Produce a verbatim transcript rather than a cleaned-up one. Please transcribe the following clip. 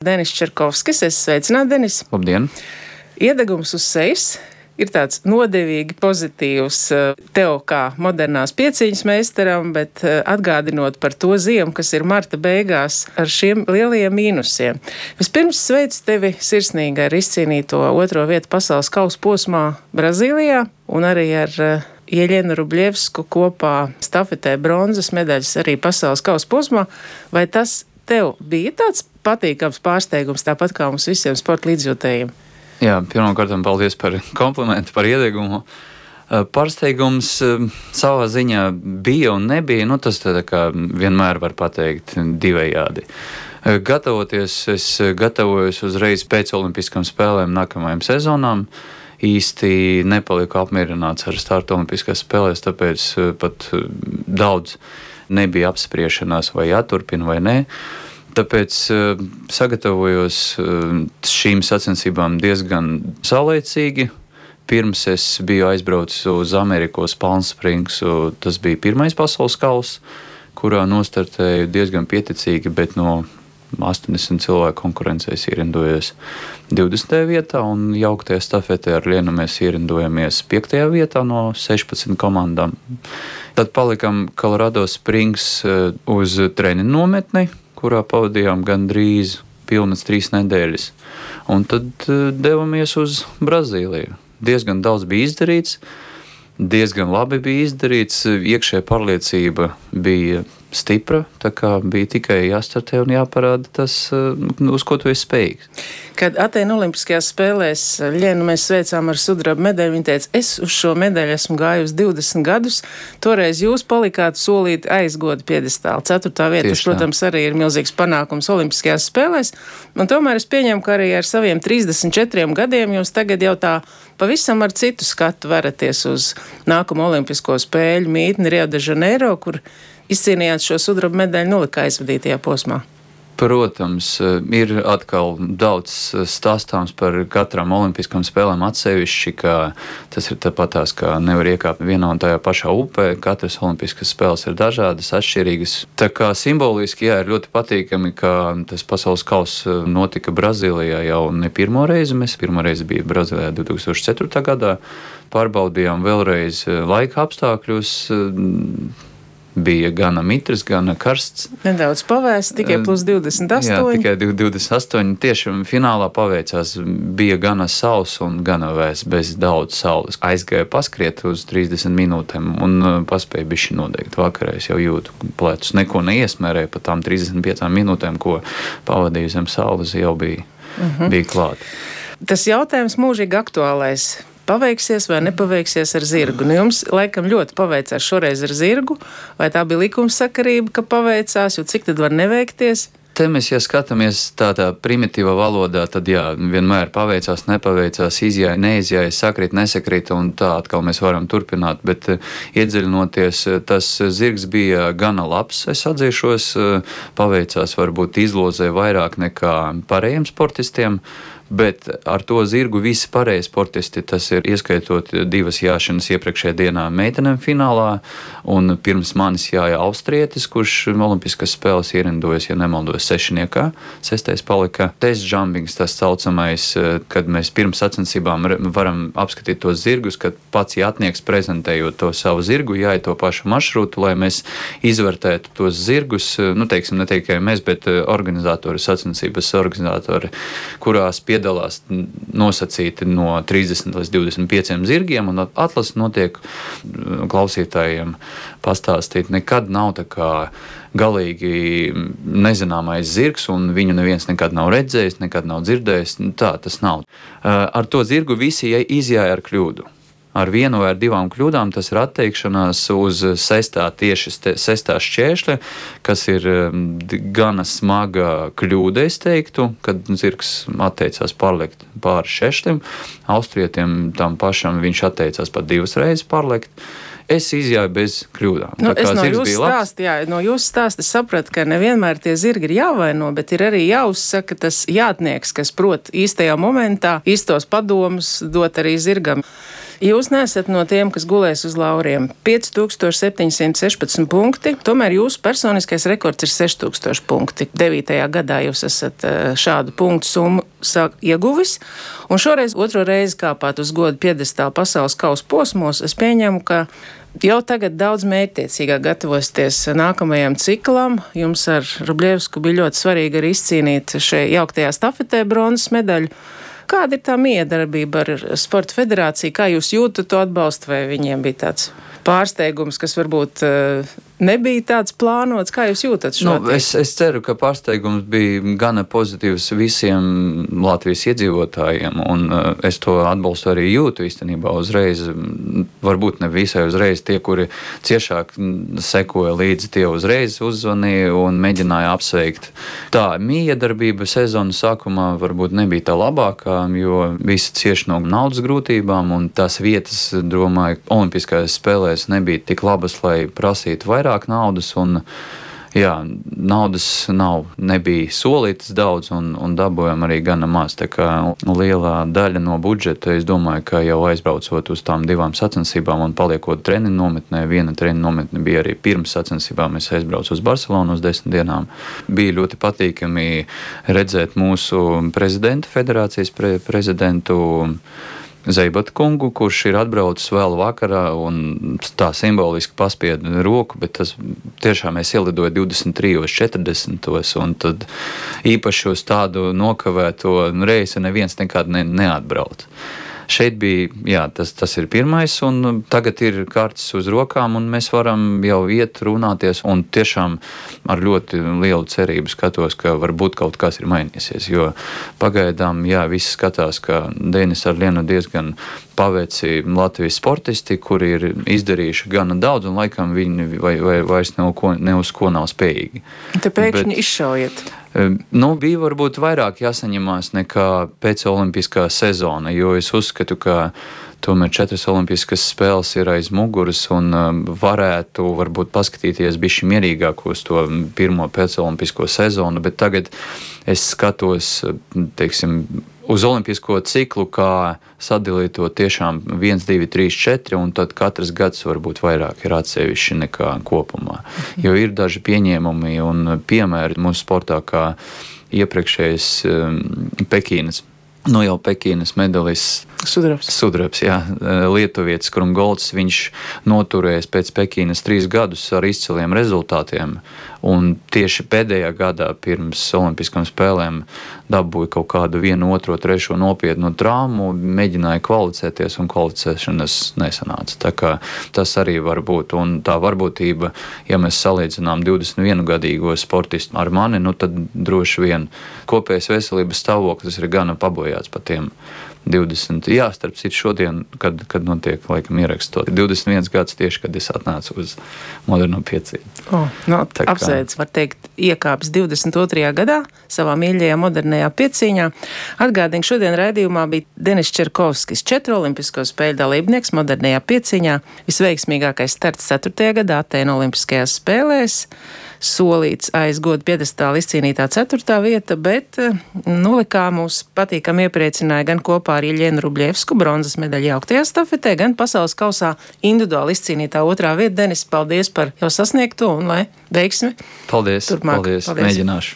Denis Čerkovskis. Es sveicinātu, Denis. Labdien! Iedegums uz sejas ir tāds nodevīgi pozitīvs tev kā modernās pieciņas meistaram, bet atgādinot par to ziemu, kas ir marta beigās ar šiem lielajiem mīnusiem. Vispirms sveicu tevi sirsnīgi ar izcīnīto otro vietu pasaules kausa posmā Brazīlijā un arī ar Jeļenu Rubļevsku kopā stafetē bronzas medaļas arī pasaules kausa posmā. Vai tas tev bija tāds patīkams pārsteigums, tāpat kā mums visiem sporta līdzjūtējiem? Jā, pirmkārt, paldies par komplimentu, par iedegumu. Pārsteigums savā ziņā bija un nebija, nu tas tā kā vienmēr var pateikt divējādi. Gatavoties, es gatavojos uzreiz pēc olimpiskām spēlēm nākamajām sezonām. Īsti nepaliku apmierināts ar startu olimpiskās spēlēs, tāpēc pat daudz nebija apspriešanās, vai jāturpina vai nē. Tāpēc uh, sagatavojos uh, šīm sacensībām diezgan saulaicīgi. Pirms es biju aizbraucis uz Ameriku, uz Palm Springs. Tas bija pirmais pasaules kauss, kurā nostartēju diezgan pieticīgi, bet no astoņdesmit cilvēku konkurencēs ierindojos divdesmitajā vietā, un jauktajā stafetē ar Lienu mēs ierindojamies piektajā vietā no sešpadsmit komandām. Tad palikam Colorado Springs uh, uz treniņu nometni, kurā pavadījām gandrīz pilnas trīs nedēļas. Un tad uh, devamies uz Brazīliju. Diezgan daudz bija izdarīts, diezgan labi bija izdarīts, iekšējā pārliecība bija stipra, tā kā bija tikai jāstartē un jāparāda tas, uh, uz ko tu esi spējīgs. Kad Atēnu olimpiskajās spēlēs Ļenu mēs sveicām ar sudraba medaļu, viņa teica, es uz šo medaļu esmu gājusi divdesmit gadus, toreiz jūs palikāt solīt aizgodu piedestālu. Ceturtā vieta, tas, protams, arī ir milzīgs panākums olimpiskajās spēlēs, un tomēr es pieņemu, ka arī ar saviem trīsdesmit četriem gadiem jūs tagad jau tā pavisam ar citu skatu veraties uz nākamo olimpisko spēļu mītni Rio de Janeiro, kur izcīnījāt šo sudraba medaļu nulika aizvadītajā posmā. Protams, ir atkal daudz stāstāms par katrām olimpiskām spēlēm atsevišķi, ka tas ir tāpatās, ka nevar iekāpt vienā un tajā pašā upē. Katras olimpiskas spēles ir dažādas, atšķirīgas. Tā kā simboliski, jā, ir ļoti patīkami, ka tas pasaules kauss notika Brazīlijā jau ne pirmo reizi. Mēs pirmo reizi bija Brazīlijā divi tūkstoši ceturtajā gadā. Pārbaudījām vēlreiz laika apstākļus. Bija gana mitrs, gana karsts. Nedaudz pavēsts, tikai plus divdesmit astoņi. Jā, tikai divdesmit astoņi. Tieši finālā paveicās, bija gana sauss un gana vēss, bez daudz saules. Aizgāja paskriet uz trīsdesmit minūtēm un paspēja bišķi nodegt. Vakarā es jau jūtu plecus. Neko neiesmērēju, pat tām trīsdesmit piecām minūtēm, ko pavadīju zem saules, jau bija, uh-huh. bija klāt. Tas jautājums mūžīgi aktuālais. Paveiksies vai nepaveiksies ar zirgu? Nu, jums laikam ļoti paveicās šoreiz ar zirgu, vai tā bija likumsakarība, ka paveicās, jo cik tad var neveikties? Te mēs, ja skatāmies tādā primitīvā valodā, tad jā, vienmēr paveicās, nepaveicās, izjāja, neizjāja, sakrīt, nesakrīt, un tā atkal mēs varam turpināt, bet iedziļinoties, tas zirgs bija gana labs, es atzīšos, paveicās varbūt izlozē vairāk nekā pārējiem sportistiem, bet ar to zirgu visi pārējie sportisti, tas ir ieskaitot divas jāšanas iepriekšējā dienā meitenēm finālā, un pirms manis jāja austrietis, kurš olimpiskas spēles ierindojas, ja nemaldos, sešniekā. Sestais palika test jumpings, tas saucamais, kad mēs pirms sacensībām varam apskatīt tos zirgus, kad pats jātnieks prezentējot to savu zirgu, jāja to pašu maršrutu, lai mēs izvērtētu tos zirgus, nu teiksim, ne tikai mēs, bet organizatori, sacensības organizatori, kurās piedalās piedalās nosacīti no trīsdesmit līdz divdesmit pieciem zirgiem, un atlase notiek klausītājiem pastāstīt. Nekad nav tā kā galīgi nezināmais zirgs, un viņu neviens nekad nav redzējis, nekad nav dzirdējis. Tā tas nav. Ar to zirgu visi izjāja ar kļūdu. Ar vienu vai ar divām kļūdām tas ir atteikšanās uz sestā, tieši sestā šķēršļa, kas ir gana smaga kļūda, es teiktu, kad zirgs atteicās pārliekt pāri šķēršļiem. Austrietiem tam pašam viņš atteicās pat divas reizes pārliekt. Es izjāju bez kļūdām. Nu, es no jūsu stāsta, jā, no jūsu stāsta sapratu, ka nevienmēr tie zirgi ir jāvaino, bet ir arī jāuzsaka tas jātnieks, kas prot īstajā momentā īstos padomus dot arī zirgam. Jūs neesat no tiem, kas gulēs uz lauriem. pieci tūkstoši septiņi simti sešpadsmit punkti, tomēr jūsu personiskais rekords ir seši tūkstoši punkti. devītajā gadā jūs esat šādu punktu summu ieguvis, un šoreiz otro reizi kāpāt uz godu piedestālu pasaules kausa posmos. Es pieņemu, ka jau tagad daudz mērķtiecīgāk gatavosieties nākamajam ciklam. Jums ar Rubļevsku bija ļoti svarīgi arī izcīnīt šajā jauktajā stafetē bronzas medaļu. Kāda ir tā miedarbība ar Sporta federāciju? Kā jūs jūtat to atbalstu, vai viņiem bija tāds pārsteigums, kas varbūt nebija tāds plānots? Kā jūs jūtat šo? Nu, es, es ceru, ka pārsteigums bija gana pozitīvs visiem Latvijas iedzīvotājiem, un uh, es to atbalstu arī jūtu īstenībā uzreiz. Varbūt ne visai uzreiz. Tie, kuri ciešāk sekoja līdzi, tie uzreiz uzzvanīja un mēģināja apsveikt. Tā miedarbība sezonas sākumā varbūt nebija tā labākā, jo visi cieši no naudas grūtībām, un tās vietas, domāju, olimpiskajās spēlēs nebija tik labas, lai prasītu vairāk naudas, un jā, naudas nav, nebija solītas daudz, un, un dabūjām arī gana maz. Tā kā lielā daļa no budžeta, es domāju, ka jau aizbraucot uz tām divām sacensībām un paliekot treniņu nometnē, viena treniņu nometne bija arī pirms sacensībām, es aizbraucu uz Barcelonu uz desmit dienām. Bija ļoti patīkami redzēt mūsu prezidentu, federācijas pre, prezidentu Zeibata kungu, kurš ir atbraucis vēl vakarā un tā simboliski paspieda roku, bet tas tiešām es ielidoju divdesmit trijos četrdesmitos, un tad īpaši uz tādu nokavēto reisi neviens nekad ne, neatbrauc. Šeit bija, jā, tas, tas ir pirmais, un tagad ir kārtas uz rokām, un mēs varam jau iet runāties, un tiešām ar ļoti lielu cerību skatos, ka varbūt kaut kas ir mainīsies, jo pagaidām, jā, visi skatās, ka Denis ar Lienu diezgan paveici Latvijas sportisti, kuri ir izdarījuši gana daudz, un laikam viņi vai, vai, vairs ne, ko, ne uz ko nav spējīgi. Te pēkšņi Bet, izšaujiet. Nu, bija varbūt vairāk jāsaņemās nekā pēc olimpiskā sezona, jo es uzskatu, ka tomēr četras olimpiskas spēles ir aiz muguras un varētu varbūt paskatīties bišķi mierīgāk uz to pirmo pēcolimpisko sezonu, bet tagad es skatos, teiksim, uz olimpisko ciklu, kā sadalīt to tiešām viens, divi, trīs, četri, un tad katrs gads varbūt vairāk ir atsevišķi nekā kopumā. Jo ir daži pieņēmumi un piemēri mūsu sportā, kā iepriekšējais um, Pekīnas, nu jau Pekīnas medalists Sudrabs. Sudrabs, jā, lietuvietis Krumgolds, viņš noturējis pēc Pekīnas trīs gadus ar izciliem rezultātiem, un tieši pēdējā gadā pirms olimpiskām spēlēm dabūja kaut kādu vienu, otro, trešo nopietnu traumu, mēģināja kvalificēties, un kvalificēšanas nesanāca. Tā kā tas arī var būt, un tā varbūtība, ja mēs salīdzinām divdesmit vienu gadīgo sportistu ar mani, nu tad droši vien kopējais veselības stāvoklis ir gana pabojāts pa tiem divdesmit, jā, starp citu šodien, kad, kad notiek, laikam, ierakstot divdesmit viens gads tieši, kad es atnācu uz moderno piecību. Oh, no, apsveic, var teikt, iekāpis divdesmit otrajā gadā savā mīļajā modernajā piecīņā. Atgādinu, šodien raidījumā bija Denis Čerkovskis, četru olimpisko spēļu dalībnieks modernajā piecīņā, visveiksmīgākais starts ceturtajā gadā Atēnu olimpiskajās spēlēs, solīts aiz godu piedestāla izcīnītā ceturtā vieta, bet nulikā mūs patīkam iepriecināja gan kopā ar Iļenu Rubļevsku bronzas medaļu jauktajā stafetē, gan pasaules kausā individuāli izcīnītā otrā vieta. Denis, paldies par jau sasniegto un lai veiksmi. Paldies, turpmāk. paldies, paldies. Mēģināšu.